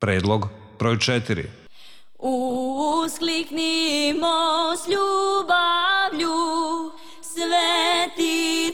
Predlog broj 4. Uskliknimo s ljubavlju, svetitelju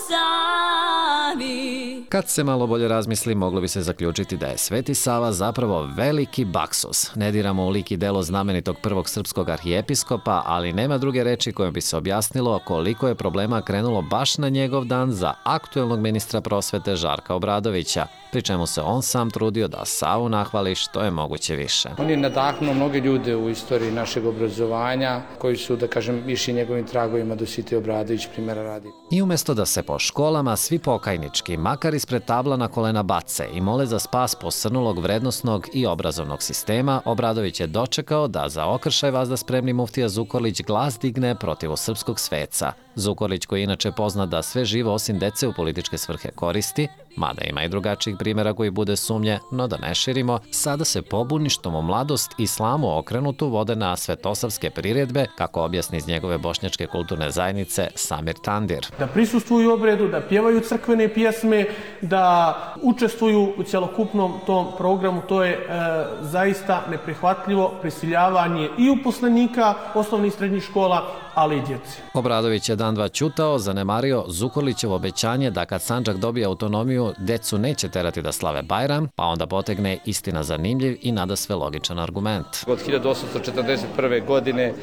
Savi. Kad se malo bolje razmisli, moglo bi se zaključiti da je Sveti Sava zapravo veliki baksus. Ne diramo u lik i delo znamenitog prvog srpskog arhijepiskopa, ali nema druge reči kojom bi se objasnilo koliko je problema krenulo baš na njegov dan za aktuelnog ministra prosvete Žarka Obradovića, pri čemu se on sam trudio da Savu nahvali što je moguće više. On je nadahnuo mnoge ljude u istoriji našeg obrazovanja, koji su, da kažem, išli njegovim tragovima do Site Obradović, primjera radi. I umjesto da se po školama svi pokajnički, makar ispred tabla na kolena bace i mole za spas posrnulog vrednosnog i obrazovnog sistema, Obradović je dočekao da za okršaj vazda spremni muftija Zukorlić glas digne protiv srpskog sveca. Zukorlić, koji je inače poznat da sve živo osim dece u političke svrhe koristi, mada ima i drugačijih primjera koji bude sumnje, no da ne širimo, sada se pobuni što mu mladost islamu okrenutu vode na svetosavske priredbe, kako objasni iz njegove bošnjačke kulturne zajednice Samir Tandir. Da prisustvuju obredu, da pjevaju crkvene pjesme, da učestvuju u cjelokupnom tom programu, to je zaista neprihvatljivo prisiljavanje i uposlenika osnovnih i srednjih škola, ali i djeci. Obradović je dan dva ćutao, zanemario Zukorlićevo obećanje da kad Sandžak dobije autonomiju, decu neće terati da slave Bajram, pa onda potegne istina zanimljiv i nadasve logičan argument. Od 1841. godine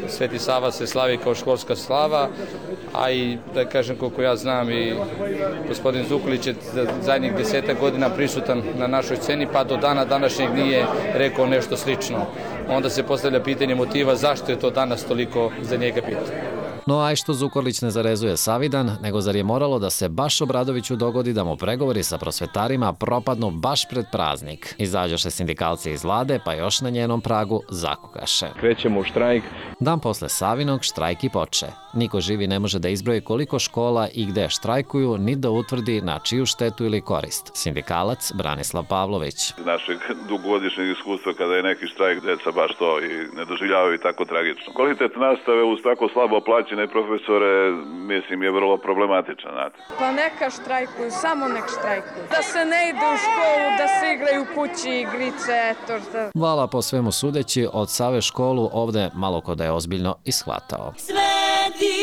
Sveti Sava se slavi kao školska slava, a i, da kažem, koliko ja znam, i gospodin Zukorlić je zadnjih 10 godina prisutan na našoj sceni, pa do dana današnjeg nije rekao nešto slično. Onda se postavlja pitanje motiva zašto je to danas toliko za njega bitno. No aj što Zukorlić ne zarezuje Savidan, nego zar je moralo da se baš Obradoviću dogodi da mu pregovori sa prosvetarima propadnu baš pred praznik. Izađoše sindikalci iz vlade, pa još na njenom pragu zakukaše. Krećemo u štrajk. Dan posle Savinog štrajk i poče. Niko živi ne može da izbroji koliko škola i gde štrajkuju, ni da utvrdi na čiju štetu ili korist. Sindikalac Branislav Pavlović. Našeg dugogodišnjeg iskustva kada je neki štrajk, deca baš to i ne doživljavaju tako tragično. Kvalitet nastave uz tako slabo plaćene profesore, mislim, je vrlo problematičan. Pa neka štrajkuju, samo nek štrajkuju. Da se ne ide u školu, da se igraju u kući, igrice, eto što. Vala po svemu sudeći od Save školu ovde malo ko da je ozbiljno ishvatao. Sveti